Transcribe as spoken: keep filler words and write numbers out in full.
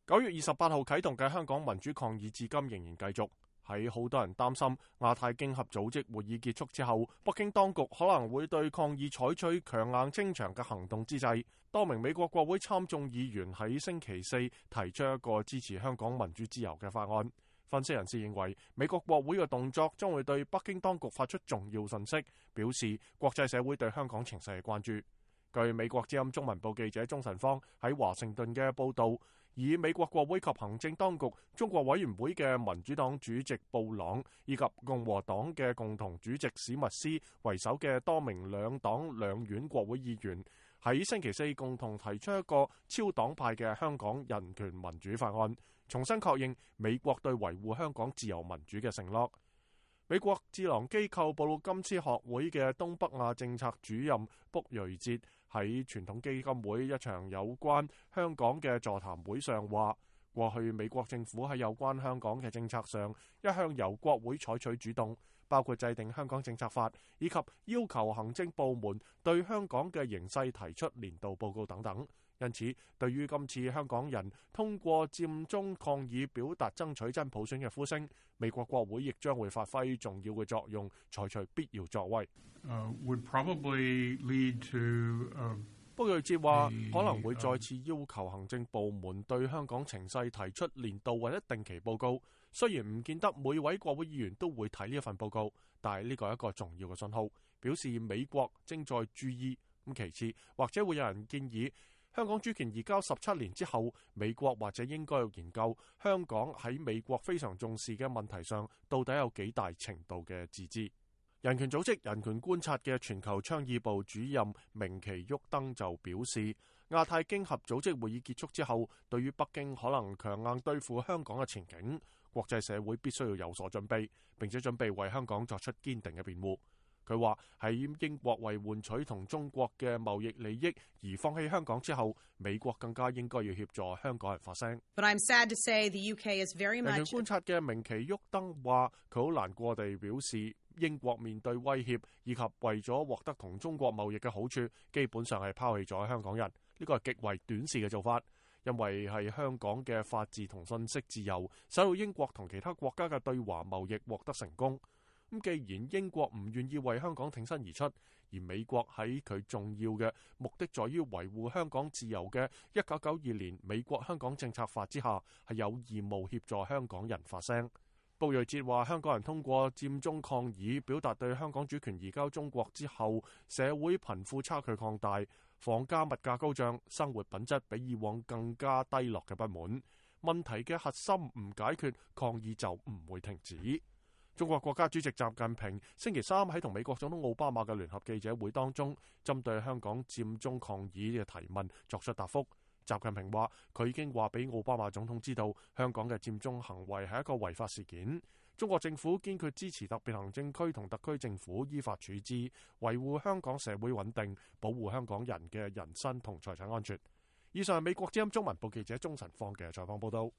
九月二十八號啟動嘅香港民主抗議至今仍然繼續。喺好多人擔心亞太經合組織會議結束之後，北京當局可能會對抗議採取強硬清場嘅行動之際，多名美國國會參眾議員喺星期四提出一個支持香港民主自由嘅法案。分析人士認為，美國國會嘅動作將會對北京當局發出重要信息，表示國際社會對香港情勢嘅關注。據美國之音中文報記者鍾晨芳喺華盛頓嘅報導，以美國國會及行政當局中國委員會嘅民主黨主席布朗以及共和黨嘅共同主席史密斯為首嘅多名兩黨兩院國會議員喺星期四共同提出一個超黨派嘅香港人權民主法案，重新確認美國對維護香港自由民主嘅承諾。美國智囊機構布魯金斯學會嘅東北亞政策主任卜瑞哲喺傳統基金會一場有關香港嘅座談會上話，過去美國政府喺有關香港嘅政策上一向由國會採取主動，包括制定香港政策法，以及要求行政部門對香港嘅形勢提出年度報告等等。因此，對於今次香港人通過佔中抗議表達爭取真普選嘅呼聲，美國國會亦將會發揮重要嘅作用，採取必要作為。Uh, would probably lead to, uh, 卜瑞哲話可能會再次要求行政部門對香港情勢提出年度或者定期報告。雖然唔見得每位國會議員都會睇呢一份報告，但係呢個係一個重要嘅信號，表示美國正在注意。咁其次，或者會有人建議，香港主權移交十七年之後，美國或者應該要研究香港喺美國非常重視嘅問題上，到底有幾大程度嘅自治。人權組織人權觀察嘅全球倡議部主任明奇沃登就表示，亞太經合組織會議結束之後，對於北京可能強硬對付香港嘅前景，國際社會必須要有所準備，並且準備為香港作出堅定嘅辯護。佢話喺英國為換取同中國嘅貿易利益而放棄香港之後，美國更加應該要協助香港人發聲。But I'm sad to say the U K is very much... 人權觀察嘅明奇沃登話，佢好難過地表示，英國面對威脅以及為咗獲得同中國貿易嘅好處，基本上係拋棄咗香港人。呢個係極為短視嘅做法，因為係香港嘅法治同信息自由，使到英國同其他國家嘅對華貿易獲得成功。咁既然英國唔願意為香港挺身而出，而美國喺佢重要嘅目的在於維護香港自由嘅一九九二年美國香港政策法之下，係有義務協助香港人發聲。布瑞哲話，香港人通過佔中抗議表達對香港主權移交中國之後，社會貧富差距擴大，房價物價高漲，生活品質比以往更加低落嘅不滿。問題嘅核心唔解決，抗議就唔會停止。中國國家主席習近平星期三喺同美國總統奧巴馬嘅聯合記者會當中，針對香港佔中抗議嘅提問作出答覆。習近平話，佢已經話俾奧巴馬總統知道，香港嘅佔中行為係一個違法事件。中國政府堅決支持特別行政區同特區政府依法處置，維護香港社會穩定，保護香港人嘅人身同財產安全。以上係美國之音中文報記者鍾晨放嘅採訪報道。